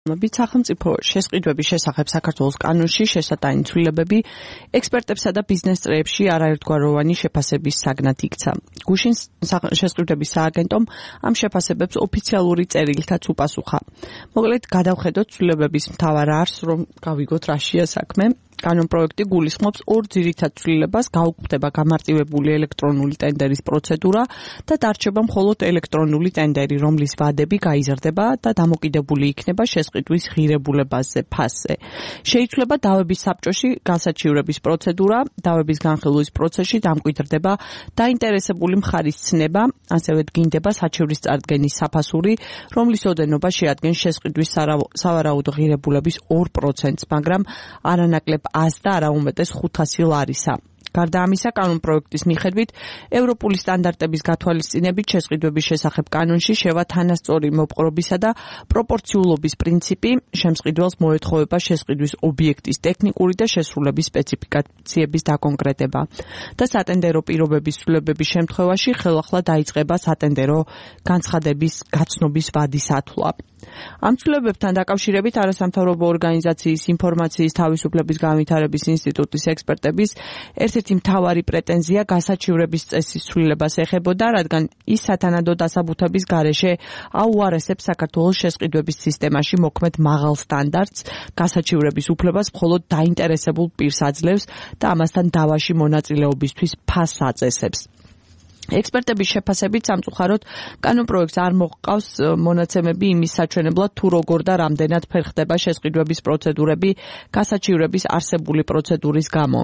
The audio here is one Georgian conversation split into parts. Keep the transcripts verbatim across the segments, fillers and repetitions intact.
სახელმწიფო შესყიდვების შესახებ საქართველოს კანონში შესატანი ცვლილებები ექსპერტებსა და ბიზნეს წრეებში არაერთგვაროვანი შეფასების საგნად იქცა. გუშინ შესყიდვების სააგენტომ ამ შეფასებებს ოფიციალური წერილითაც უპასუხა. მოკლედ, გადავხედოთ ცვლილებების მთავარ არსს, რომ გავიგოთ რაშია საქმე. კანონპროექტი გულისხმობს ორ ძირითად ცვლილებას, გაუქმდება გამარტივებული ელექტრონული ტენდერის პროცედურა და დარჩება მხოლოდ ელექტრონული ტენდერი, რომლის ვადები გაიზრდება და დამოკიდებული იქნება შესყიდვის ღირებულებაზე, ფასზე. შეიცვლება დავების საბჭოში განსაჩივრების პროცედურა, დავების განხილვის პროცესში დამკვიდრდება დაინტერესებული მხარის ცნება, ასევე დგინდება საჩივრის წარდგენის საფასური, რომლის ოდენობა შეადგენს შესყიდვის სავარაუდო ღირებულების ორ პროცენტს, მაგრამ არანაკლებ ას და არა უმეტეს ხუთასი ლარისა. გარდა ამისა, კანონპროექტის მიხედვით, ევროპული სტანდარტების გათვალისწინებით შესყიდვების შესახებ კანონში შევა თანასწორი მოპყრობისა და პროპორციულობის პრინციპი, შემსყიდველს მოეთხოვება შესყიდვის ობიექტის ტექნიკური და შესრულების სპეციფიკაციების დაკონკრეტება და სატენდერო პირობების ცვლილებების შემთხვევაში ხელახლა დაიწყება სატენდერო განცხადების გაცნობის ვადის ათვლა. ამ ცვლილებებთან დაკავშირებით არასამთავრობო ორგანიზაციის ინფორმაციის თავისუფლების განვითარების ინსტიტუტის ექსპერტების ერთ-ერთი მთავარი პრეტენზია გასაჩივრების წესის ცვლილებას ეხებოდა, რადგან ის სათანადო დასაბუთების გარეშე აუარესებს საქართველოს შესყიდვების სისტემაში მოქმედ მაღალ სტანდარტს, გასაჩივრების უფლებას მხოლოდ დაინტერესებულ პირს აძლევს და ამასთან დავაში მონაწილეობისთვის ფასს აწესებს. ექსპერტების შეფასებით სამწუხაროდ კანონპროექტს არ მოჰყავს მონაცემები იმის საჩვენებლად, თუ როგორ და რამდენად ფერხდება შესყიდვების პროცედურები გასაჩივრების არსებული პროცედურის გამო.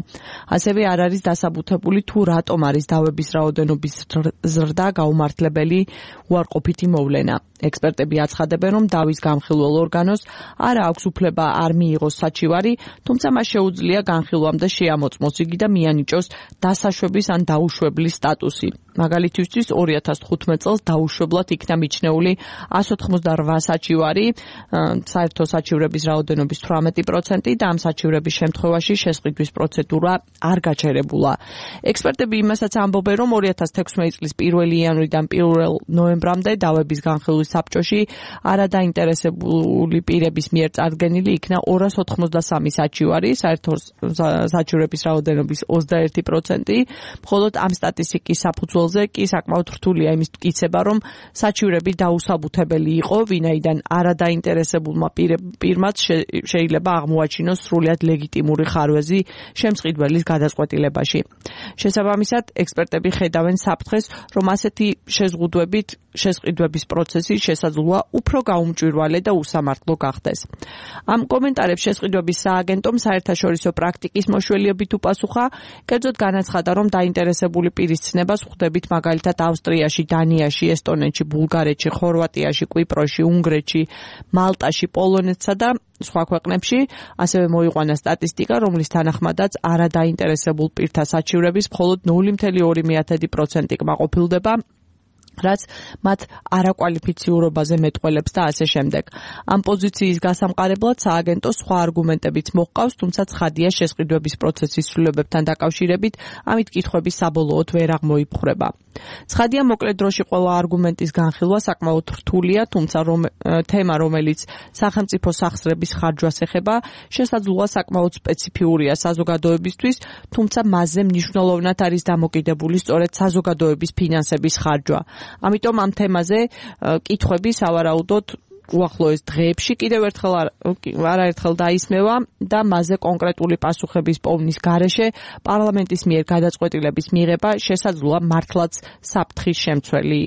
ასევე არ არის დასაბუთებული, თუ რატომ არის დავების რაოდენობის ზრდა გაუმართლებელი უარყოფითი მოვლენა. ექსპერტები აცხადებენ, რომ დავის განხილველ ორგანოს არ აქვს უფლება არ მიიღოს საჩივარი, თუმცა მას შეუძლია განხილვამ და შეამოწმოს იგი და მიანიჭოს დასაშვების ან დაუშვებლის სტატუსი. მაგალითისთვის ორი ათას თხუთმეტ წელს დაუშვებლად იქნა მიჩნეული ას ოთხმოცდაორვა საჩივარი, საერთო საჩივრების რაოდენობის თვრამეტი პროცენტი და ამ საჩივრების შემთხვევაში შესყიდვის პროცედურა არ გაჩერებულა. ექსპერტები იმასაც ამბობენ, რომ ორი ათას თექვსმეტი წლის პირველი იანვრიდან პირველ ნოემბრამდე დავების განხილვის საბჭოში არადაინტერესებული პირების მიერ წარდგენილი იქნა ორას ოთხმოცდასამი საჩივარი, საერთო საჩივრების რაოდენობის ოცდაერთი პროცენტი, მხოლოდ ამ სტატისტიკის საფუძველზე კი საკმაოდ რთულია იმის მტკიცება, რომ საჩივრები დაუსაბუთებელი იყო, ვინაიდან არადაინტერესებულმა პირმაც შეიძლება აღმოაჩინოს სრულიად ლეგიტიმური ხარვეზი შემსყიდველის გადაწყვეტილებაში. შესაბამისად, ექსპერტები ხედავენ საფრთხეს, რომ ასეთი შეზღუდვებით შესყიდვების პროცესი შესაძლოა უფრო გაუმჭვირვალე და უსამართლო გახდეს. ამ კომენტარებს შესყიდვების სააგენტომ საერთაშორისო პრაქტიკის მოშველიებით უპასუხა, კერძოდ განაცხადა, რომ დაინტერესებული პირის ცნებას ხვდებით მაგალითად ავსტრიაში, დანიაში, ესტონეთში, ბულგარეთში, ხორვატიაში, კვიპროსში, უნგრეთში, მალტაში, პოლონეთსა და სხვა ქვეყნებში. ასევე მოიყვანა სტატისტიკა, რომლის თანახმადაც არადაინტერესებულ პირთა საჩივრების მხოლოდ ნული მცდარი ორი პროცენტი კმაყოფილდება, რაც მათ არაკვალიფიციურობაზე მეტყველებს და ასე შემდეგ. ამ პოზიციის გასამყარებლად სააგენტო სხვა არგუმენტებიც მოჰყავს, თუმცა ცხადია შესყიდვების პროცესის ცვლილებებთან დაკავშირებით ამით კითხვები საბოლოოდ ვერ აღმოიფხვრება. ცხადია, მოკლედ დროში ყველა არგუმენტის განხილვა საკმაოდ რთულია, თუმცა რომ, თემა, რომელიც სახელმწიფო სახსრების ხარჯვას ეხება, შესაძლოა საკმაოდ სპეციფიურია საზოგადოებისთვის, თუმცა მასზე მნიშვნელოვნად არის დამოკიდებული სწორედ საზოგადოების ფინანსების ხარჯვა. ამიტომ ამ თემაზე კითხვები სავარაუდოდ უახლოეს დღეებში კიდევ ერთხელ არაერთხელ დაისმევა და მასზე კონკრეტული პასუხების პოვნის გარეშე პარლამენტის მიერ გადაწყვეტილების მიღება შესაძლოა მართლაც საფრთხის შემცველი იყოს.